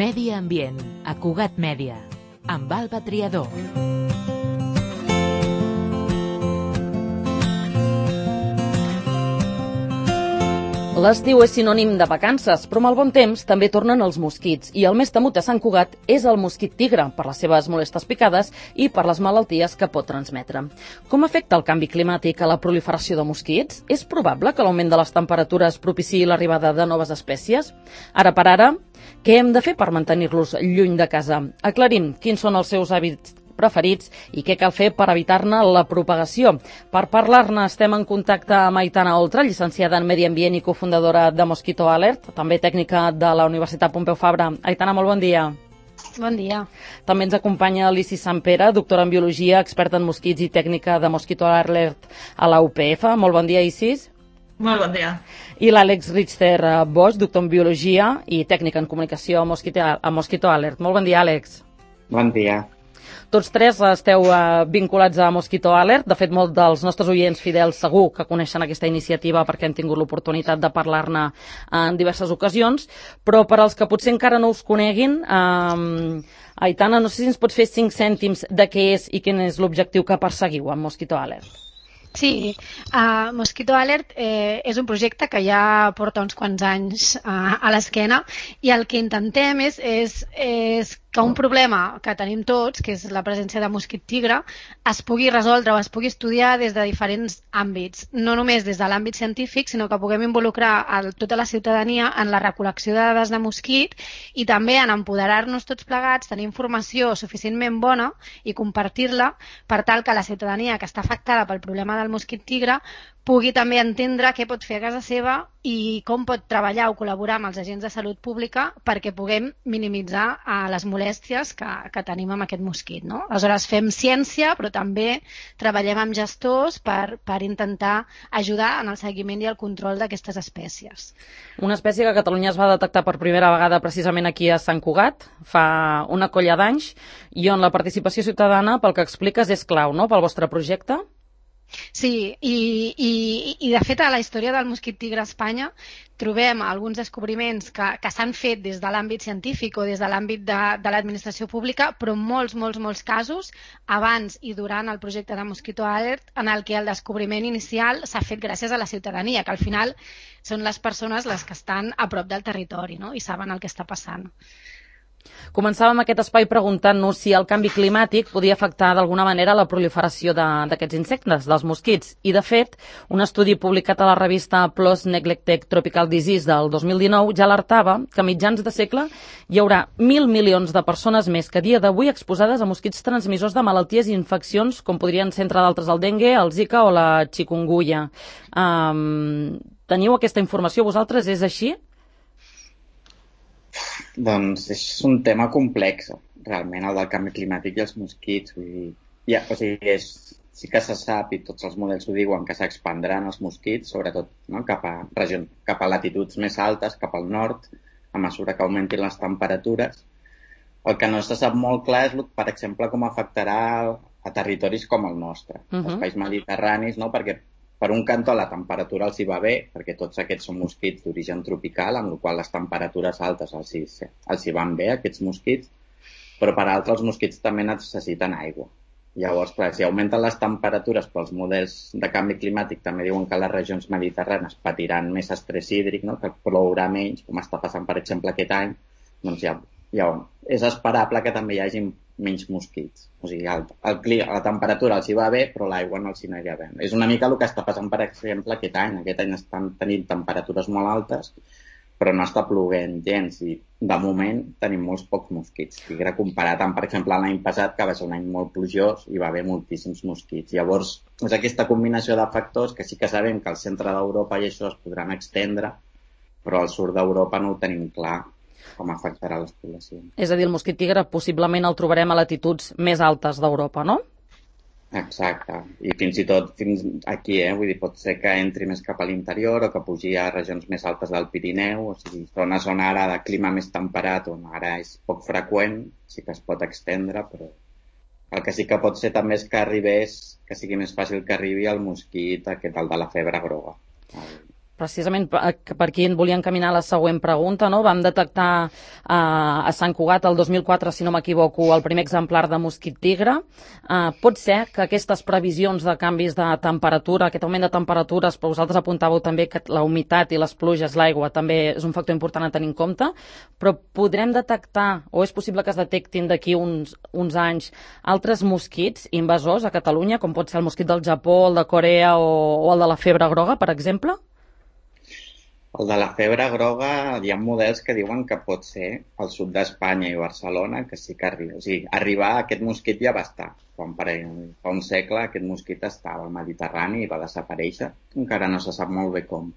Medi Ambient, a Cugat Mèdia, amb Alba Triador. L'estiu és sinònim de vacances, però amb el bon temps també tornen els mosquits, i el més temut a Sant Cugat és el mosquit tigre, per les seves molestes picades i per les malalties que pot transmetre. Com afecta el canvi climàtic a la proliferació de mosquits? És probable que l'augment de les temperatures propiciï l'arribada de noves espècies? Ara per ara, què hem de fer per mantenir-los lluny de casa? Aclarim quins són els seus hàbits preferits i què cal fer per evitar-ne la propagació. Per parlar-ne estem en contacte amb Aitana Oltra, llicenciada en Medi Ambient i cofundadora de Mosquito Alert, també tècnica de la Universitat Pompeu Fabra. Aitana, molt bon dia. Bon dia. També ens acompanya l'Isis Sampere, doctora en biologia, experta en mosquits i tècnica de Mosquito Alert a la UPF. Molt bon dia, Isis. Molt bon dia. I l'Àlex Richter Bosch, doctor en biologia i tècnica en comunicació a Mosquito Alert. Molt bon dia, Àlex. Bon dia. Tots tres esteu vinculats a Mosquito Alert. De fet, molts dels nostres oients fidels segur que coneixen aquesta iniciativa perquè hem tingut l'oportunitat de parlar-ne en diverses ocasions. Però per als que potser encara no us coneguin, Aitana, no sé si ens pots fer 5 cèntims de què és i quin és l'objectiu que perseguiu amb Mosquito Alert. Sí, Mosquito Alert és un projecte que ja porta uns quants anys a l'esquena i el que intentem és que un problema que tenim tots, que és la presència de mosquit tigre, es pugui resoldre o es pugui estudiar des de diferents àmbits. No només des de l'àmbit científic, sinó que puguem involucrar tota la ciutadania en la recol·lecció de dades de mosquit i també en empoderar-nos tots plegats, tenir informació suficientment bona i compartir-la per tal que la ciutadania que està afectada pel problema del mosquit tigre pugui també entendre què pot fer a casa seva i com pot treballar o col·laborar amb els agents de salut pública perquè puguem minimitzar les molèsties que tenim amb aquest mosquit, no? Aleshores fem ciència, però també treballem amb gestors per intentar ajudar en el seguiment i el control d'aquestes espècies. Una espècie que a Catalunya es va detectar per primera vegada precisament aquí a Sant Cugat, fa una colla d'anys, i on la participació ciutadana, pel que expliques, és clau, no?, pel vostre projecte? Sí, i de fet a la història del mosquit tigre a Espanya trobem alguns descobriments que s'han fet des de l'àmbit científic o des de l'àmbit de l'administració pública, però molts casos abans i durant el projecte de Mosquito Alert en el que el descobriment inicial s'ha fet gràcies a la ciutadania, que al final són les persones les que estan a prop del territori, no?, i saben el que està passant. Començàvem aquest espai preguntant-nos si el canvi climàtic podia afectar d'alguna manera la proliferació d'aquests insectes, dels mosquits. I, de fet, un estudi publicat a la revista PLOS Neglected Tropical Disease del 2019 ja alertava que a mitjans de segle hi haurà 1.000 milions de persones més que a dia d'avui exposades a mosquits transmissors de malalties i infeccions com podrien ser, entre d'altres, el dengue, el zika o la chikungunya. Teniu aquesta informació vosaltres? És així? Doncs és un tema complex, realment, el del canvi climàtic i els mosquits. Vull dir, sí que se sap, i tots els models ho diuen, que s'expandran els mosquits, sobretot, no?, cap a latituds més altes, cap al nord, a mesura que augmentin les temperatures. El que no se sap molt clar és, per exemple, com afectarà a territoris com el nostre, els països mediterranis, no?, perquè per un cantó la temperatura els hi va bé, perquè tots aquests són mosquits d'origen tropical, amb la qual les temperatures altes els hi van bé, aquests mosquits, però per altre els mosquits també necessiten aigua. Llavors, clar, si augmenten les temperatures pels models de canvi climàtic, també diuen que les regions mediterranes patiran més estrès hídric, no?, que plourà menys, com està passant, per exemple, aquest any, doncs ja és esperable que també hi hagi menys mosquits. O sigui, la temperatura els hi va bé, però l'aigua no els hi anirà bé. És una mica el que està passant, per exemple, aquest any. Aquest any estan tenint temperatures molt altes, però no està plovent gens i, de moment, tenim molts pocs mosquits. Tigre comparat amb, per exemple, l'any passat, que va ser un any molt plujós i va haver moltíssims mosquits. Llavors, és aquesta combinació de factors que sí que sabem que al centre d'Europa i això es podran extendre, però al sud d'Europa no ho tenim clar com afectarà les poblacions. És a dir, el mosquit tigre possiblement el trobarem a latituds més altes d'Europa, no? Exacte. I fins i tot fins aquí, vull dir, pot ser que entri més cap a l'interior o que pugi a regions més altes del Pirineu, o sigui, zones on ara de clima més temperat, on ara és poc freqüent, sí que es pot extendre, però el que sí que pot ser també és que sigui més fàcil que arribi el mosquit aquest, el de la febre groga, Precisament per aquí en volia encaminar la següent pregunta, no? Vam detectar a Sant Cugat el 2004, si no m'equivoco, el primer exemplar de mosquit tigre. Pot ser que aquestes previsions de canvis de temperatura, aquest augment de temperatures, però vosaltres apuntàveu també que la humitat i les pluges, l'aigua, també és un factor important a tenir en compte, però podrem detectar, o és possible que es detectin d'aquí uns anys, altres mosquits invasors a Catalunya, com pot ser el mosquit del Japó, el de Corea o el de la febre groga, per exemple? El de la febre groga, hi ha models que diuen que pot ser al sud d'Espanya i Barcelona, que sí que arriba. O sigui, arribar a aquest mosquit ja va estar. Fa un segle aquest mosquit estava al Mediterrani i va desaparèixer. Encara no se sap molt bé com.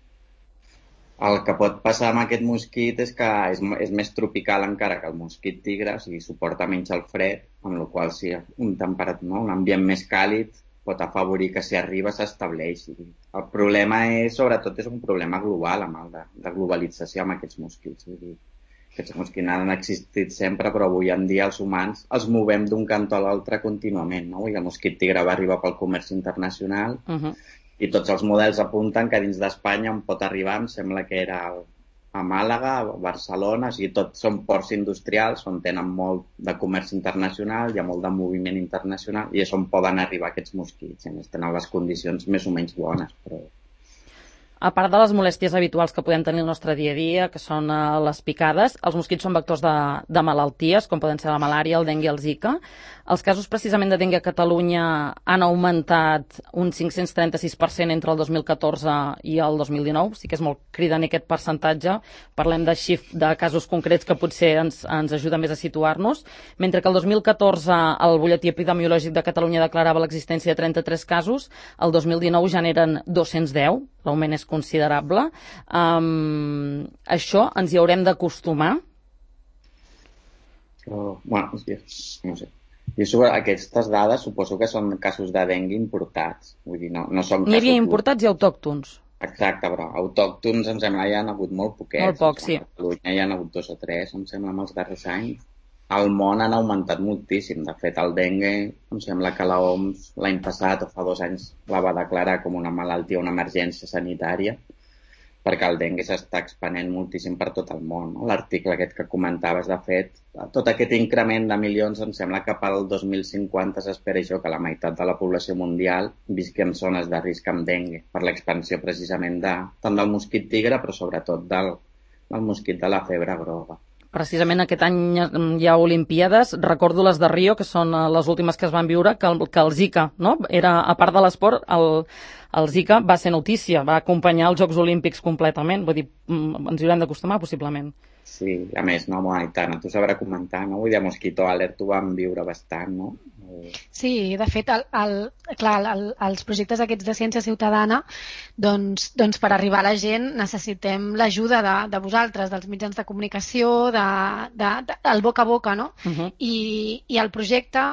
El que pot passar amb aquest mosquit és que és més tropical encara que el mosquit tigre, o sigui, suporta menys el fred, amb la qual cosa un ambient més càlid pot afavorir que si arriba s'estableixi. El problema sobretot és un problema global, de globalització amb aquests mosquits. Aquests mosquits han existit sempre, però avui en dia els humans els movem d'un cantó a l'altre contínuament, no? I el mosquit tigre va arribar pel comerç internacional i tots els models apunten que dins d'Espanya on pot arribar, em sembla que era a Màlaga, a Barcelona, o sigui, tots són ports industrials on tenen molt de comerç internacional, hi ha molt de moviment internacional i és on poden arribar aquests mosquits. A més, tenen les condicions més o menys bones, però... A part de les molèsties habituals que podem tenir el nostre dia a dia, que són les picades, els mosquits són vectors de malalties, com poden ser la malària, el dengue i el zika. Els casos precisament de dengue a Catalunya han augmentat un 536% entre el 2014 i el 2019. Sí que és molt cridaner aquest percentatge. Parlem de casos concrets que potser ens ajuda més a situar-nos. Mentre que el 2014 el butlletí epidemiològic de Catalunya declarava l'existència de 33 casos, el 2019 ja n'eren 210. L'augment és considerable. Això ens hi haurem d'acostumar? Bueno, no sé. I sobre aquestes dades suposo que són casos de dengue importats. Vull dir, no són casos... N'hi havia importats i autòctons. Exacte, però autòctons em sembla hi ha hagut molt poquets. Molt pocs, sí. A Catalunya hi ha hagut 2 o 3, em sembla, en els darrers anys. Al món han augmentat moltíssim. De fet, el dengue, em sembla que l'OMS l'any passat o fa 2 anys la va declarar com una malaltia, una emergència sanitària, perquè el dengue s'està expanent moltíssim per tot el món. No? L'article aquest que comentaves, de fet, tot aquest increment de milions, em sembla que pel 2050 s'espera això, que la meitat de la població mundial visqui en zones de risc amb dengue, per l'expansió precisament tant del mosquit tigre, però sobretot del mosquit de la febre groga. Precisament aquest any hi ha Olimpíades. Recordo les de Rio, que són les últimes que es van viure, que el Zika, no? Era, a part de l'esport, el Zika va ser notícia, va acompanyar els Jocs Olímpics completament. Vull dir, ens hi haurem d'acostumar, possiblement. Sí, a més, no, i tant, tu sabrà comentar, no? Vull dir, a Mosquito Alert ho vam viure bastant, no? Sí, de fet, els projectes aquests de ciència ciutadana, doncs per arribar a la gent necessitem l'ajuda de vosaltres, dels mitjans de comunicació, del boca a boca, no? I el projecte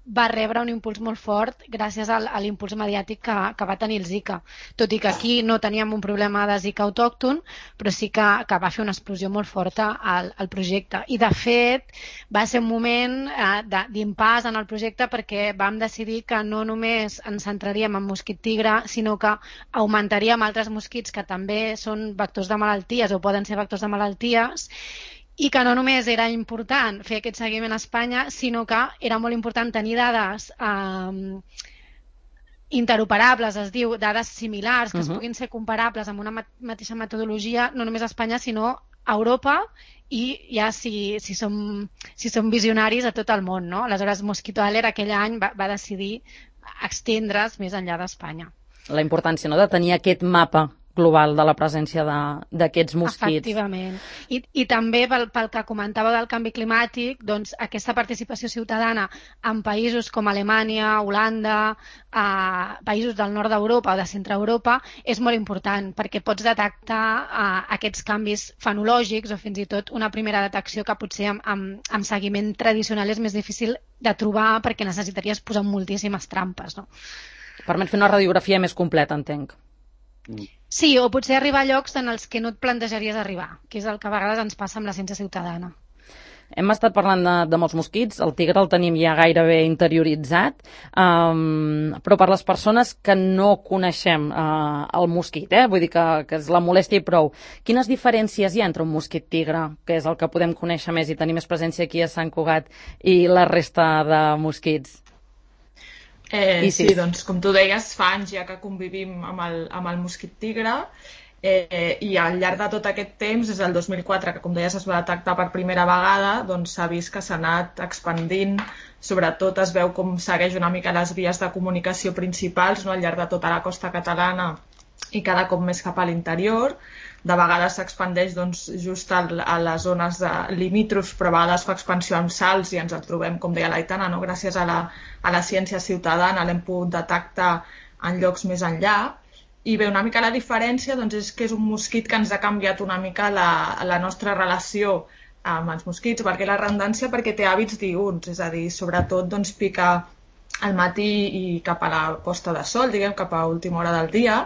va rebre un impuls molt fort gràcies a l'impuls mediàtic que va tenir el Zika. Tot i que aquí no teníem un problema de Zika autòcton, però sí que va fer una explosió molt forta al projecte. I, de fet, va ser un moment d'impàs en el projecte perquè vam decidir que no només ens centraríem en mosquit tigre, sinó que augmentaríem altres mosquits que també són vectors de malalties o poden ser vectors de malalties, i que no només era important fer aquest seguiment a Espanya, sinó que era molt important tenir dades interoperables, es diu, dades similars, que es puguin ser comparables amb una mateixa metodologia, no només a Espanya, sinó a Europa i ja si som visionaris a tot el món, no? Aleshores, Mosquito Alert aquell any va decidir extendre's més enllà d'Espanya. La importància, no?, de tenir aquest mapa global de la presència d'aquests mosquits. Efectivament. I també pel que comentava del canvi climàtic, doncs aquesta participació ciutadana en països com Alemanya, Holanda, països del nord d'Europa o de centre Europa, és molt important perquè pots detectar aquests canvis fenològics o fins i tot una primera detecció que potser amb seguiment tradicional és més difícil de trobar perquè necessitaries posar moltíssimes trampes, no? Permet fer una radiografia més completa, entenc. Sí, o potser arribar a llocs en els que no et plantejaries arribar, que és el que a vegades ens passa amb la ciència ciutadana. Hem estat parlant de molts mosquits, el tigre el tenim ja gairebé interioritzat, però per les persones que no coneixem el mosquit, vull dir que és la molèstia i prou, quines diferències hi ha entre un mosquit tigre, que és el que podem conèixer més i tenir més presència aquí a Sant Cugat, i la resta de mosquits? Sí, doncs com tu deies, fa anys ja que convivim amb el mosquit tigre, i al llarg de tot aquest temps, des del 2004, que com deies es va detectar per primera vegada, doncs s'ha vist que s'ha anat expandint, sobretot es veu com segueix una mica les vies de comunicació principals, no, al llarg de tota la costa catalana i cada cop més cap a l'interior. De vegades s'expandeix doncs, just a les zones limítrofs, però a vegades fa expansió amb salts i ens el trobem, com deia l'Aitana, no? Gràcies a la ciència ciutadana l'hem pogut detectar en llocs més enllà. I bé, una mica la diferència doncs, és que és un mosquit que ens ha canviat una mica la nostra relació amb els mosquits, perquè la redundància, perquè té hàbits diürns, és a dir, sobretot doncs, pica al matí i cap a la posta de sol, diguem, cap a última hora del dia,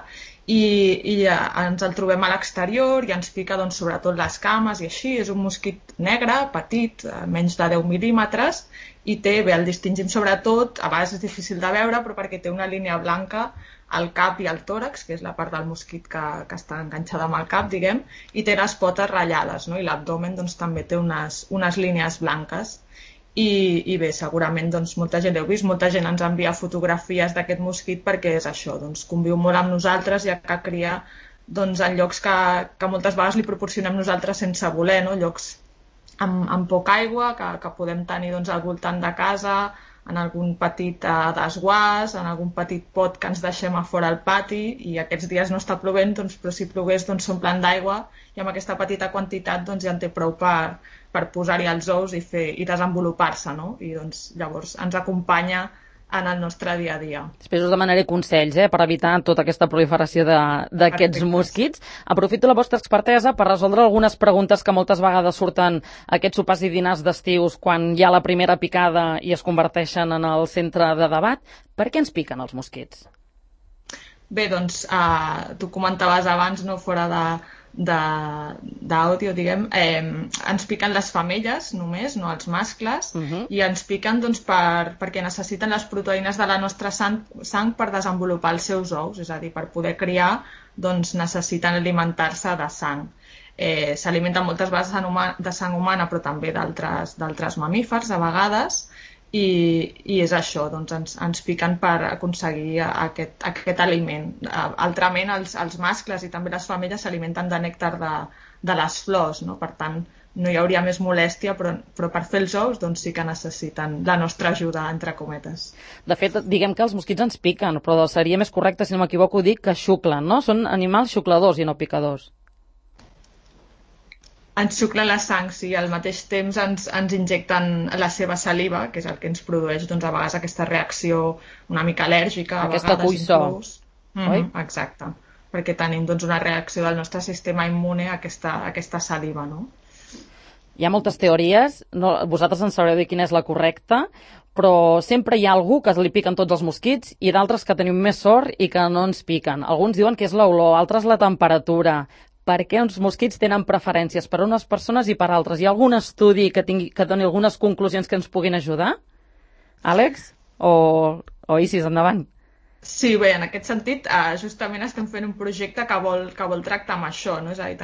i ens el trobem a l'exterior i ens pica doncs, sobretot les cames i així. És un mosquit negre, petit, menys de 10 mil·límetres, i té, bé, el distingim sobretot, a vegades és difícil de veure, però perquè té una línia blanca al cap i al tòrax, que és la part del mosquit que està enganxada amb el cap, diguem, i té les potes ratllades, no? I l'abdomen doncs, també té unes línies blanques. I bé, segurament doncs, molta gent l'heu vist, molta gent ens envia fotografies d'aquest mosquit perquè és això, doncs, conviu molt amb nosaltres, ja que cria doncs, en llocs que moltes vegades li proporcionem nosaltres sense voler, no? Llocs amb poca aigua que podem tenir doncs, al voltant de casa, en algun petit desguàs, en algun petit pot que ens deixem a fora al pati, i aquests dies no està plovent, doncs, però si plogués doncs, s'omplen d'aigua, i amb aquesta petita quantitat doncs, ja en té prou per posar-hi els ous i desenvolupar-se, no? I doncs, llavors ens acompanya en el nostre dia a dia. Després us demanaré consells per evitar tota aquesta proliferació d'aquests mosquits. Aprofito la vostra expertesa per resoldre algunes preguntes que moltes vegades surten aquests sopars i dinars d'estius quan hi ha la primera picada i es converteixen en el centre de debat. Per què ens piquen els mosquits? Bé, doncs, tu comentaves abans, no, fora d'àudio, diguem, ens piquen les femelles només, no els mascles, i ens piquen doncs, perquè necessiten les proteïnes de la nostra sang per desenvolupar els seus ous, és a dir, per poder criar doncs, necessiten alimentar-se de sang. S'alimenten moltes vegades de sang humana, però també d'altres mamífers, a vegades, i és això, doncs ens piquen per aconseguir aquest aliment. Altrament, els mascles i també les femelles s'alimenten de nèctar de les flors, no? Per tant, no hi hauria més molèstia, però per fer els ous doncs sí que necessiten la nostra ajuda, entre cometes. De fet, diguem que els mosquits ens piquen, però seria més correcte, si no m'equivoco, dir que xuclen, no? Són animals xucladors i no picadors. Ens xuclen la sang, sí, al mateix temps ens injecten la seva saliva, que és el que ens produeix doncs, a vegades aquesta reacció una mica al·lèrgica. Aquesta cuissó. Oi? Exacte, perquè tenim doncs, una reacció del nostre sistema immune a aquesta saliva, no? Hi ha moltes teories, vosaltres en sabreu dir quina és la correcta, però sempre hi ha algú que li piquen tots els mosquits i d'altres que tenim més sort i que no ens piquen. Alguns diuen que és l'olor, altres la temperatura. Per què els mosquits tenen preferències per a unes persones i per a altres? Hi ha algun estudi que doni algunes conclusions que ens puguin ajudar? Àlex? O Isis, endavant? Sí, bé, en aquest sentit, justament estem fent un projecte que vol tractar amb això, no? És a dir,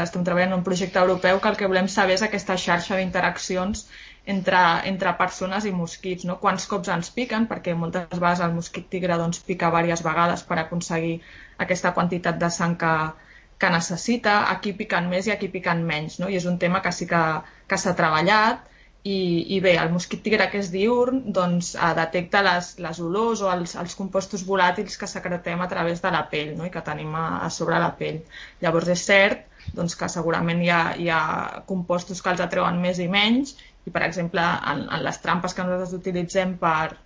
estem treballant en un projecte europeu que el que volem saber és aquesta xarxa d'interaccions entre persones i mosquits, no? Quants cops ens piquen, perquè moltes vegades el mosquit tigre doncs, pica diverses vegades per aconseguir aquesta quantitat de sang que necessita, aquí piquen més i aquí piquen menys, no? I és un tema que sí que s'ha treballat, i bé, el mosquit tigre, que és diürn, doncs detecta les olors o els compostos volàtils que secretem a través de la pell, no? I que tenim a sobre la pell. Llavors és cert doncs, que segurament hi ha compostos que els atreuen més i menys, i per exemple en les trampes que nosaltres utilitzem per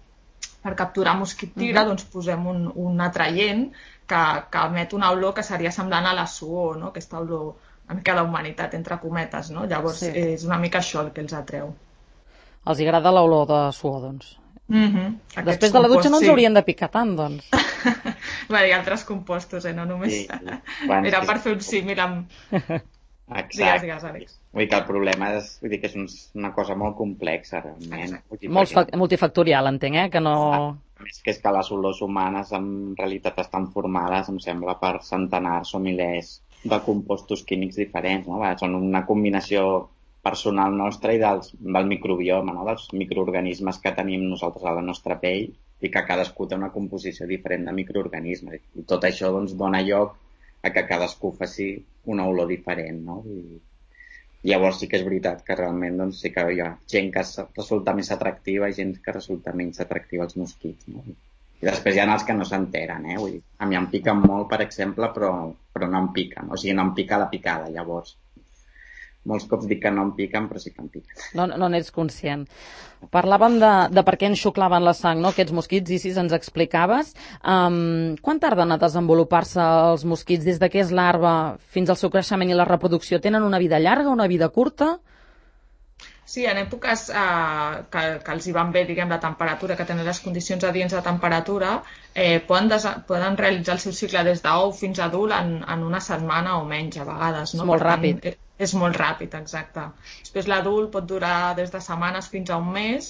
capturar mosquit tigre, doncs posem un atraient que emet una olor que seria semblant a la suor, no? Aquesta olor una mica d'humanitat, entre cometes, no? Llavors és una mica això el que els atreu. Els agrada l'olor de suor, doncs. Després de la dutxa no ens haurien de picar tant, doncs. Bé, hi ha altres compostos, no només... Era per fer un símil amb... Exacte. Digues, Àlex. Vull dir que el problema és una cosa molt complexa, realment. Multifactorial, entenc, que no... És que les olors humanes en realitat estan formades, em sembla, per centenars o milers de compostos químics diferents, no? Són una combinació personal nostra i del microbioma, no? Dels microorganismes que tenim nosaltres a la nostra pell i que cadascú té una composició diferent de microorganismes. I tot això doncs, dona lloc a que cadascú faci una olor diferent, no? I llavors sí que és veritat que realment doncs, sí que hi ha gent que resulta més atractiva i gent que resulta menys atractiva als mosquits, no? I després hi ha els que no s'enteren, Vull dir, a mi em piquen molt, per exemple, però no em piquen. O sigui, no em pica la picada, llavors. Molts cops dic que no em piquen, però sí que em piquen. No n'ets conscient. Parlàvem de per què enxuclaven la sang, no?, aquests mosquits, i si ens explicaves. Quan tarden a desenvolupar-se els mosquits des de que és larva fins al seu creixement i la reproducció? Tenen una vida llarga, una vida curta? Sí, en èpoques que els hi van bé, diguem, la temperatura, que tenen les condicions adients de temperatura, poden realitzar el seu cicle des d'ou fins a adult en una setmana o menys, a vegades. No? És molt ràpid. És molt ràpid, exacte. Després l'adult pot durar des de setmanes fins a un mes,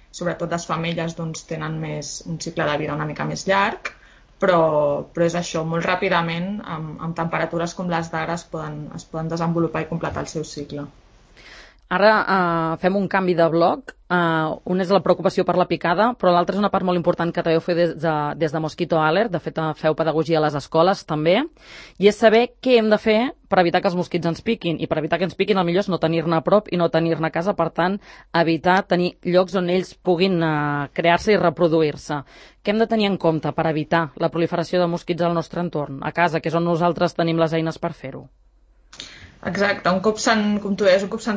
sobretot les femelles doncs, tenen un cicle de vida una mica més llarg, però és això, molt ràpidament, amb temperatures com les d'ara, es poden desenvolupar i completar el seu cicle. Ara fem un canvi de bloc. Un és la preocupació per la picada, però l'altre és una part molt important que també feu des de Mosquito Alert. De fet, feu pedagogia a les escoles també, i és saber què hem de fer per evitar que els mosquits ens piquin. I per evitar que ens piquin, el millor és no tenir-ne a prop i no tenir-ne a casa, per tant, evitar tenir llocs on ells puguin crear-se i reproduir-se. Què hem de tenir en compte per evitar la proliferació de mosquits al nostre entorn, a casa, que és on nosaltres tenim les eines per fer-ho? Exacte, un cop s'han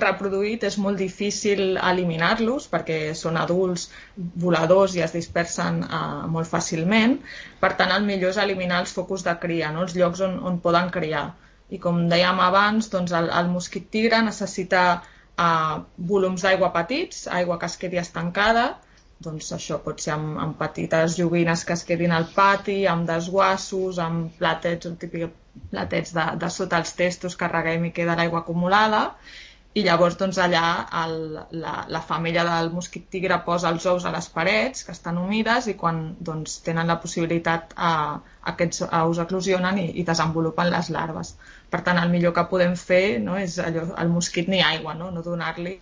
reproduït és molt difícil eliminar-los perquè són adults voladors i es dispersen molt fàcilment. Per tant, el millor és eliminar els focus de cria, no? Els llocs on poden criar. I com dèiem abans, doncs el mosquit tigre necessita volums d'aigua petits, aigua que es quedi estancada. Doncs això pot ser amb petites joguines que es quedin al pati, amb desguassos, amb platets, un típic platets de sota els testos que reguem i queda l'aigua acumulada, i llavors doncs, allà la femella del mosquit tigre posa els ous a les parets que estan humides i quan doncs, tenen la possibilitat aquests ous eclosionen i desenvolupen les larves. Per tant, el millor que podem fer, no, és al mosquit ni aigua, no donar-li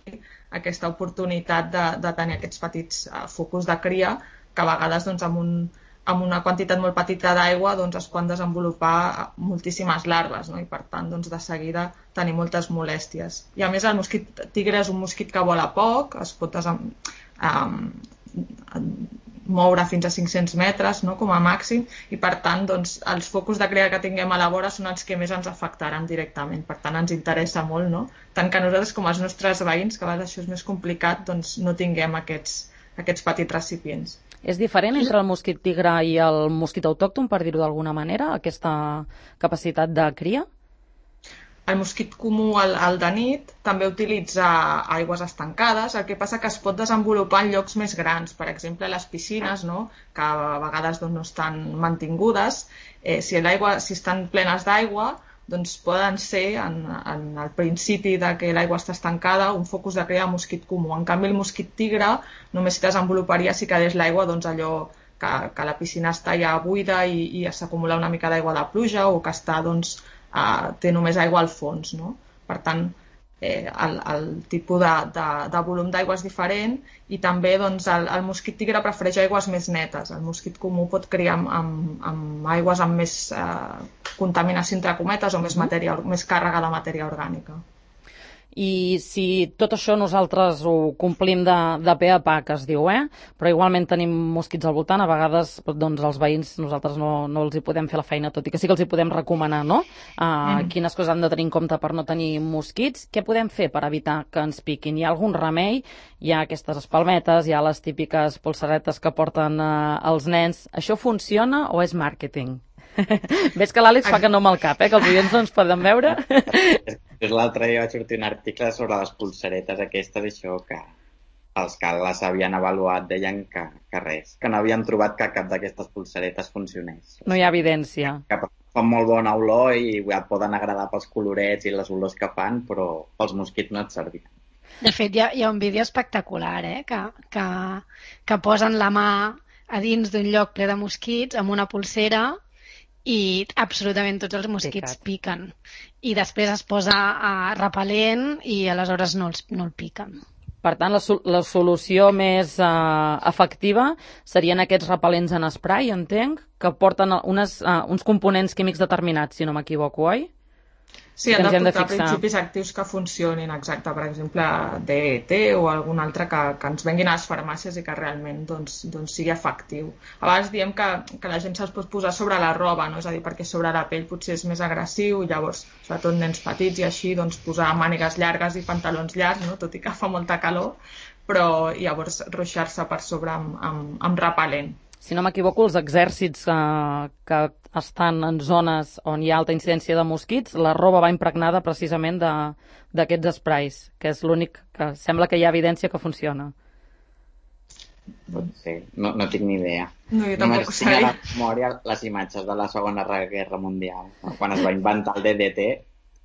aquesta oportunitat de tenir aquests petits focus de cria que a vegades doncs, amb una quantitat molt petita d'aigua doncs, es poden desenvolupar moltíssimes larves, no? I per tant doncs, de seguida tenir moltes molèsties. I a més el mosquit tigre és un mosquit que vola poc, es pot moure fins a 500 metres, no? Com a màxim, i per tant doncs, els focus de cria que tinguem a la vora són els que més ens afectaran directament. Per tant ens interessa molt, no? Tant que nosaltres com els nostres veïns, que a vegades això és més complicat, doncs no tinguem aquests petits recipients. És diferent entre el mosquit tigre i el mosquit autòcton, per dir-ho d'alguna manera, aquesta capacitat de cria? El mosquit comú, el de nit, també utilitza aigües estancades, el que passa que es pot desenvolupar en llocs més grans, per exemple a les piscines, no? Que a vegades doncs, no estan mantingudes. Si estan plenes d'aigua, doncs poden ser, en el principi de que l'aigua està estancada, un focus de cria de mosquit comú. En canvi, el mosquit tigre només s'hi desenvoluparia si quedés l'aigua doncs, allò que la piscina està ja buida i s'acumula una mica d'aigua de pluja o que està, doncs, té només aigua al fons. No? Per tant, el tipus de volum d'aigua és diferent i també doncs, el mosquit tigre prefereix aigües més netes. El mosquit comú pot criar amb aigües amb més contaminació entre cometes o més càrrega de matèria orgànica. I si tot això nosaltres ho complim de pe a pa, que es diu, però igualment tenim mosquits al voltant, a vegades doncs, els veïns nosaltres no els hi podem fer la feina, tot i que sí que els hi podem recomanar, no? Quines coses han de tenir en compte per no tenir mosquits, què podem fer per evitar que ens piquin? Hi ha algun remei? Hi ha aquestes espalmetes, hi ha les típiques polseretes que porten els nens. Això funciona o és màrqueting? Ves que l'Àlex fa que no amb el cap, que els oients no ens poden veure. L'altre dia vaig sortir un article sobre les pulseretes aquestes, això que els que les havien avaluat deien que res, que no havien trobat que cap d'aquestes pulseretes funcionés. No hi ha evidència. Que fan molt bona olor i et poden agradar pels colorets i les olors que fan, però pels mosquits no et servien. De fet, hi ha un vídeo espectacular, que posen la mà a dins d'un lloc ple de mosquits amb una polsera i absolutament tots els mosquits piquen. I després es posa repel·lent i aleshores no el piquen. Per tant, la solució més efectiva serien aquests repel·lents en spray, entenc, que porten uns components químics determinats, si no m'equivoco, oi? Sí, han de portar principis actius que funcionin, exacte, per exemple, DET o algun altre que ens venguin a les farmàcies i que realment sigui efectiu. A vegades diem que la gent se'ls pot posar sobre la roba, no? És a dir, perquè sobre la pell potser és més agressiu, llavors, sobretot nens petits i així, posar mànigues llargues i pantalons llargs, no? Tot i que fa molta calor, però llavors ruixar-se per sobre amb repel·lent. Si no m'equivoco, els exèrcits que estan en zones on hi ha alta incidència de mosquits, la roba va impregnada precisament d'aquests sprays, que és l'únic que sembla que hi ha evidència que funciona. Pot ser, no tinc ni idea. No, jo tampoc ho sabia. Tinc a la memòria les imatges de la Segona Guerra Mundial, quan es va inventar el DDT,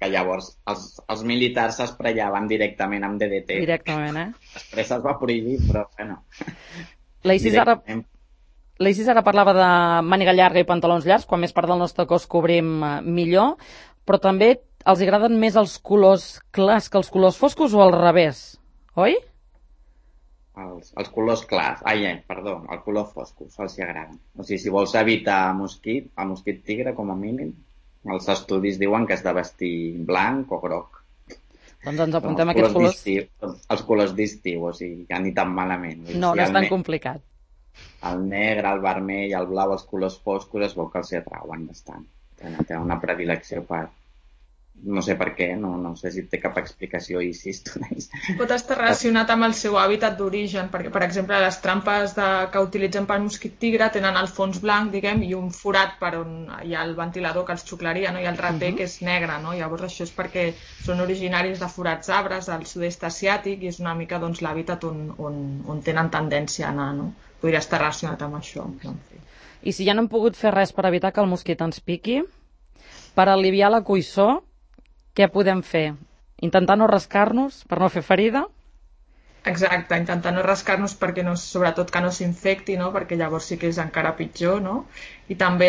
que llavors els militars s'esprallaven directament amb DDT. Directament, Després es va prohibir, però bueno. L'Isis ara parlava de màniga llarga i pantalons llargs, quan més part del nostre cos cobrim millor, però també els agraden més els colors clars que els colors foscos o al revés, oi? Els colors clars, el color foscos, els agraden. O sigui, si vols evitar el mosquit tigre, com a mínim, els estudis diuen que has de vestir blanc o groc. Doncs ens apuntem aquests colors. Els colors d'estiu, o sigui, que ni tan malament. No és tan complicat. El negre, el vermell, el blau, els colors foscos es veu que els atrauen bastant. Tenen una predilecció per... No sé per què, no sé si té cap explicació i si pot estar relacionat amb el seu hàbitat d'origen, perquè, per exemple, les trampes que utilitzen pel mosquit tigre tenen el fons blanc, diguem, i un forat per on hi ha el ventilador que els xuclaria, no? I el rater que és negre, no? Llavors això és perquè són originaris de forats arbres al sud-est asiàtic i és una mica l'hàbitat on tenen tendència a anar, no? Podria estar relacionat amb això. I si ja no hem pogut fer res per evitar que el mosquit ens piqui, per aliviar la coïssor, què podem fer? Intentar no rascar-nos per no fer ferida? Exacte, intentar no rascar-nos perquè sobretot que no s'infecti, no? Perquè llavors sí que és encara pitjor, no? I també,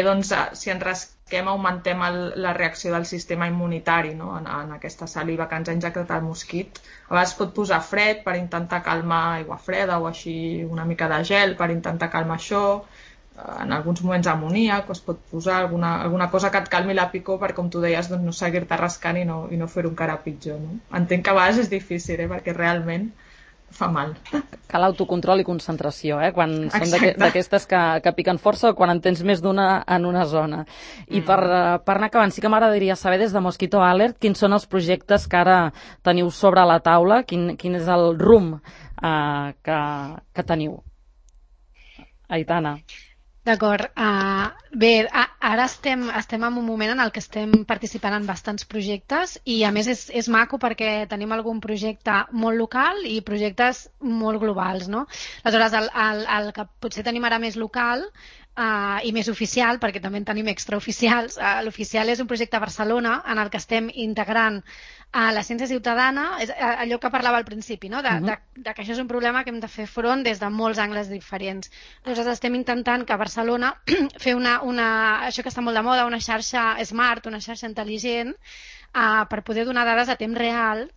si ens rasquem, augmentem la reacció del sistema immunitari, no? En aquesta saliva que ens ha injectat el mosquit. A vegades pot posar fred per intentar calmar aigua freda o així una mica de gel per intentar calmar això. En alguns moments amoníac, es pot posar alguna cosa que et calmi la picor perquè, com tu deies, no seguir-te rascant i no fer-ho encara pitjor. No? Entenc que a vegades és difícil, perquè realment fa mal. Cal autocontrol i concentració, quan són d'aquestes que piquen força o quan en tens més d'una en una zona. I per anar acabant, sí que m'agradaria saber des de Mosquito Alert quins són els projectes que ara teniu sobre la taula, quin és el rumb que teniu. Aitana. D'acord. Bé, ara estem en un moment en el que estem participant en bastants projectes i a més és maco perquè tenim algun projecte molt local i projectes molt globals, no? Aleshores, el que potser tenim ara més local i més oficial, perquè també en tenim extraoficials, l'oficial és un projecte a Barcelona en el que estem integrant la ciència ciutadana, és allò que parlava al principi, no? de que això és un problema que hem de fer front des de molts angles diferents. Nosaltres estem intentant que a Barcelona fer això que està molt de moda, una xarxa smart, una xarxa intel·ligent, per poder donar dades a temps real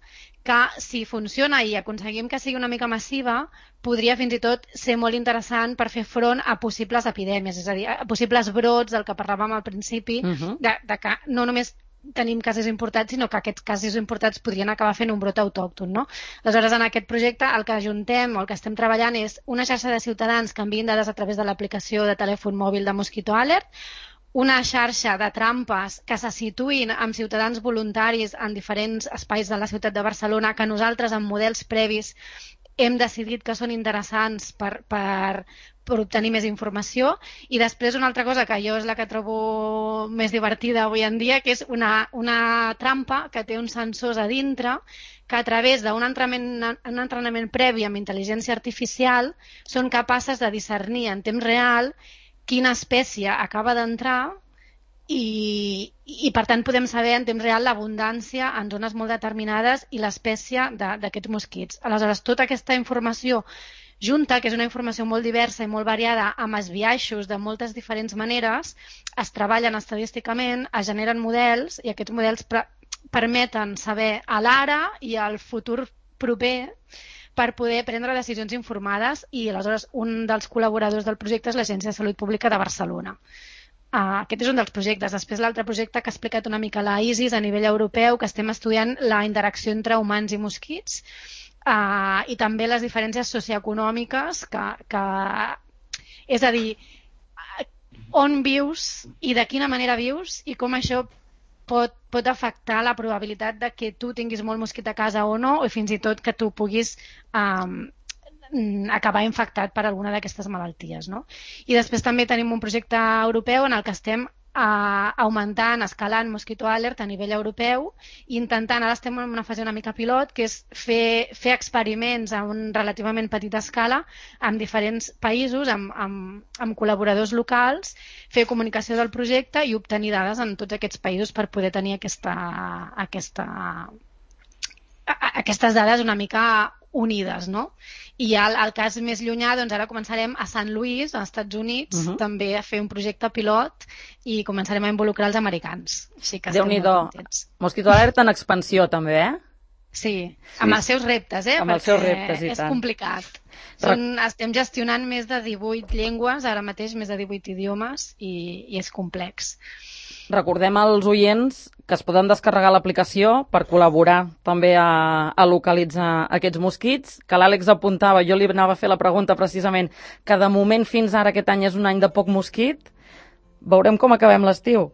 que si funciona i aconseguim que sigui una mica massiva, podria fins i tot ser molt interessant per fer front a possibles epidèmies, és a dir, a possibles brots del que parlàvem al principi, de que no només tenim casos importats, sinó que aquests casos importats podrien acabar fent un brot autòcton, no? Aleshores, en aquest projecte el que ajuntem o el que estem treballant és una xarxa de ciutadans que envien dades a través de l'aplicació de telèfon mòbil de Mosquito Alert, una xarxa de trampes que se situïn amb ciutadans voluntaris en diferents espais de la ciutat de Barcelona que nosaltres, amb models previs, hem decidit que són interessants per obtenir més informació. I després una altra cosa que jo és la que trobo més divertida avui en dia, que és una trampa que té uns sensors a dintre que a través d'un entrenament previ amb intel·ligència artificial són capaces de discernir en temps real quina espècie acaba d'entrar i per tant podem saber en temps real l'abundància en zones molt determinades i l'espècie d'aquests mosquits. Aleshores, tota aquesta informació junta, que és una informació molt diversa i molt variada, amb esbiaixos de moltes diferents maneres, es treballen estadísticament, es generen models i aquests models permeten saber a l'ara i al futur proper per poder prendre decisions informades i aleshores un dels col·laboradors del projecte és l'Agència de Salut Pública de Barcelona. Aquest és un dels projectes. Després l'altre projecte que ha explicat una mica la Isis a nivell europeu, que estem estudiant la interacció entre humans i mosquits i també les diferències socioeconòmiques és a dir, on vius i de quina manera vius i com això pot afectar la probabilitat de que tu tinguis molt mosquit a casa o no, o fins i tot que tu puguis acabar infectat per alguna d'aquestes malalties, no? I després també tenim un projecte europeu en el que estem augmentant, escalant Mosquito Alert a nivell europeu i intentant, ara estem en una fase una mica pilot, que és fer experiments a una relativament petita escala en diferents països, amb col·laboradors locals, fer comunicació del projecte i obtenir dades en tots aquests països per poder tenir aquestes dades una mica unides, no? I el cas més llunyà, doncs ara començarem a Sant Louis, als Estats Units, també a fer un projecte pilot i començarem a involucrar els americans. Així que estem molt contents. Mosquito Alert en expansió també, Sí, amb els seus reptes, amb els seus reptes, i és complicat. Estem gestionant més de 18 llengües, ara mateix més de 18 idiomes, i és complex. Recordem als oients que es poden descarregar l'aplicació per col·laborar també a localitzar aquests mosquits, que l'Àlex apuntava, jo li anava a fer la pregunta precisament, que de moment fins ara aquest any és un any de poc mosquit. Veurem com acabem l'estiu.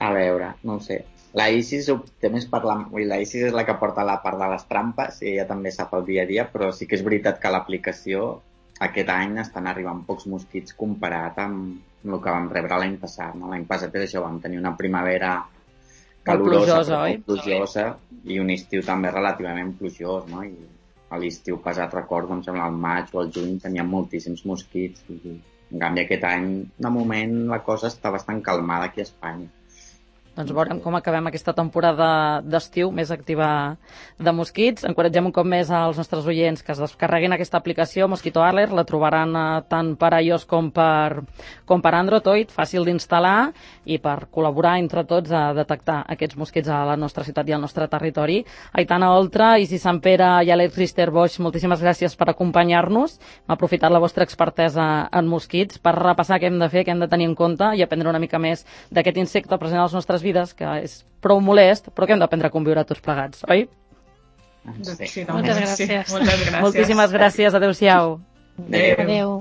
A veure, no ho sé. La Isis té més la Isis és la que porta la part de les trampes i ella també sap el dia a dia, però sí que és veritat que l'aplicació aquest any estan arribant pocs mosquits comparat amb el que vam rebre l'any passat. No? L'any passat és això, vam tenir una primavera calurosa, plujosa i un estiu també relativament plujós. No? I a l'estiu passat, recordo, em sembla al maig o al juny teníem moltíssims mosquits. I, en canvi, aquest any, de moment, la cosa està bastant calmada aquí a Espanya. Doncs veurem com acabem aquesta temporada d'estiu més activa de mosquits. Encoratgem un cop més als nostres oients que es descarreguin aquesta aplicació Mosquito Alert. La trobaran tant per iOS com per Android, fàcil d'instal·lar i per col·laborar entre tots a detectar aquests mosquits a la nostra ciutat i al nostre territori. Aitana Oltra, Isis Sampere i Àlex Richter-Boix, moltíssimes gràcies per acompanyar-nos. Hem aprofitat la vostra expertesa en mosquits per repassar què hem de fer, què hem de tenir en compte i aprendre una mica més d'aquest insecte present a les nostres vides, que és prou molest, però que hem d'aprendre a conviure tots plegats, oi? Sí, moltes gràcies. Moltíssimes gràcies. Adéu-siau. Adéu.